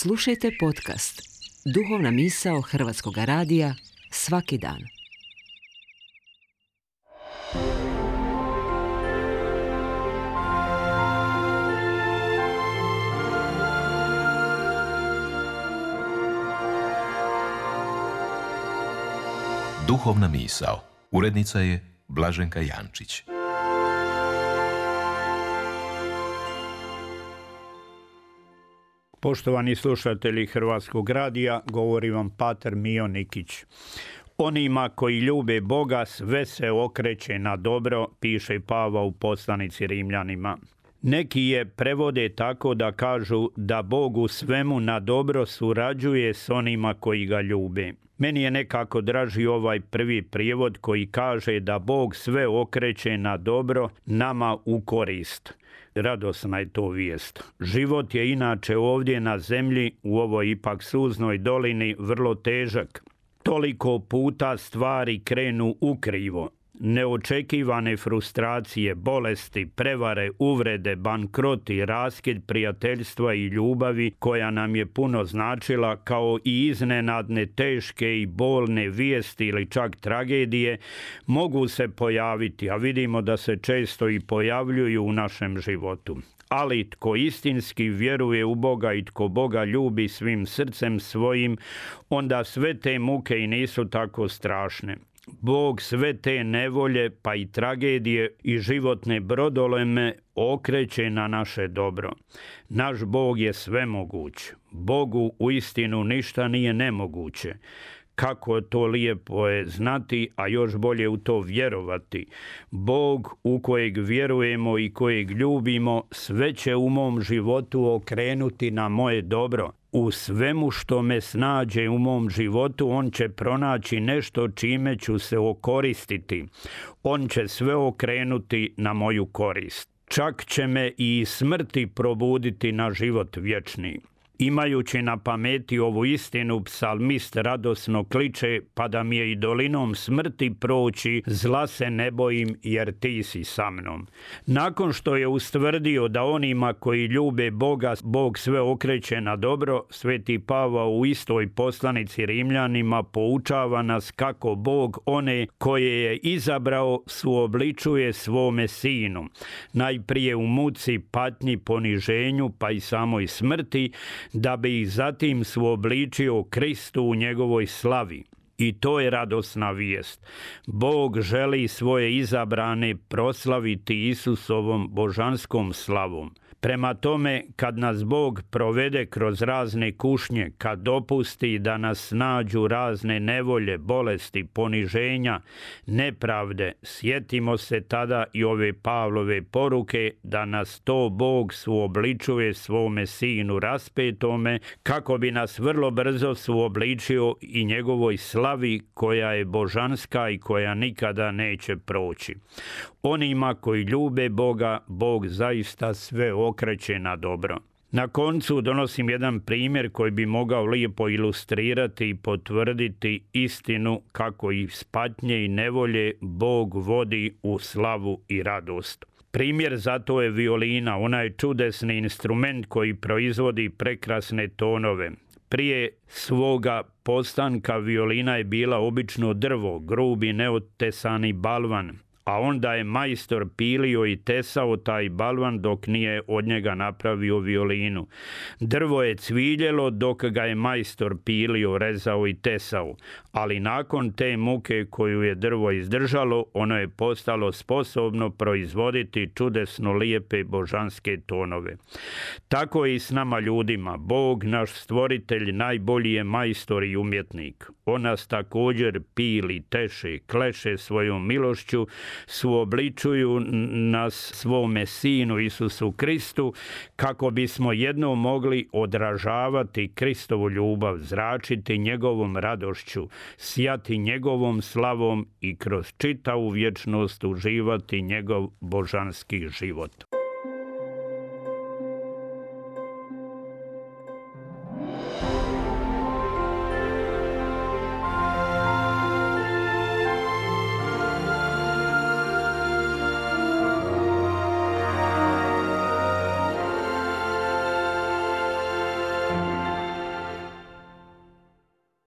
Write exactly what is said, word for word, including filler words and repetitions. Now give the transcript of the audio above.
Slušajte podcast Duhovna misao Hrvatskog radija svaki dan. Duhovna misao. Urednica je Blaženka Jančić. Poštovani slušatelji Hrvatskog radija, govori vam pater Mijo Nikić. Onima koji ljube Boga sve se okreće na dobro, piše Pavao u poslanici Rimljanima. Neki je prevode tako da kažu da Bog u svemu na dobro surađuje s onima koji ga ljube. Meni je nekako draži ovaj prvi prijevod koji kaže da Bog sve okreće na dobro nama u korist. Radosna je to vijest. Život je inače ovdje na zemlji, u ovoj ipak suznoj dolini, vrlo težak. Toliko puta stvari krenu ukrivo. Neočekivane frustracije, bolesti, prevare, uvrede, bankroti, raskid prijateljstva i ljubavi koja nam je puno značila, kao i iznenadne, teške i bolne vijesti ili čak tragedije, mogu se pojaviti, a vidimo da se često i pojavljuju u našem životu. Ali tko istinski vjeruje u Boga i tko Boga ljubi svim srcem svojim, onda sve te muke i nisu tako strašne. Bog sve te nevolje, pa i tragedije i životne brodoleme okreće na naše dobro. Naš Bog je svemoguć. Bogu uistinu ništa nije nemoguće. Kako to lijepo je znati, a još bolje u to vjerovati. Bog u kojeg vjerujemo i kojeg ljubimo sve će u mom životu okrenuti na moje dobro. U svemu što me snađe u mom životu, on će pronaći nešto čime ću se okoristiti. On će sve okrenuti na moju korist. Čak će me i iz smrti probuditi na život vječni. Imajući na pameti ovu istinu, psalmist radosno kliče: pa da mi je i dolinom smrti proći, zla se ne bojim jer ti si sa mnom. Nakon što je ustvrdio da onima koji ljube Boga, Bog sve okreće na dobro, sveti Pavao u istoj poslanici Rimljanima poučava nas kako Bog one koje je izabrao suobličuje svome sinu. Najprije u muci, patnji, poniženju, pa i samoj smrti, da bi ih zatim suobličio Kristu u njegovoj slavi. I to je radosna vijest. Bog želi svoje izabrane proslaviti Isusovom božanskom slavom. Prema tome, kad nas Bog provede kroz razne kušnje, kad dopusti da nas nađu razne nevolje, bolesti, poniženja, nepravde, sjetimo se tada i ove Pavlove poruke da nas to Bog suobličuje svome sinu raspetome, kako bi nas vrlo brzo suobličio i njegovoj slavi koja je božanska i koja nikada neće proći. Onima koji ljube Boga, Bog zaista sve okreće na dobro. Na koncu donosim jedan primjer koji bi mogao lijepo ilustrirati i potvrditi istinu kako iz patnje i nevolje Bog vodi u slavu i radost. Primjer za to je violina, onaj čudesni instrument koji proizvodi prekrasne tonove. Prije svoga postanka violina je bila obično drvo, grubi neotesani balvan, a onda je majstor pilio i tesao taj balvan dok nije od njega napravio violinu. Drvo je cviljelo dok ga je majstor pilio, rezao i tesao, ali nakon te muke koju je drvo izdržalo, ono je postalo sposobno proizvoditi čudesno lijepe božanske tonove. Tako je i s nama ljudima. Bog, naš stvoritelj, najbolji je majstor i umjetnik. On nas također pili, teše, kleše svojom milošću, suobličuju nas svome sinu Isusu Kristu, kako bismo jednom mogli odražavati Kristovu ljubav, zračiti njegovom radošću, sijati njegovom slavom i kroz čitavu vječnost uživati njegov božanski život.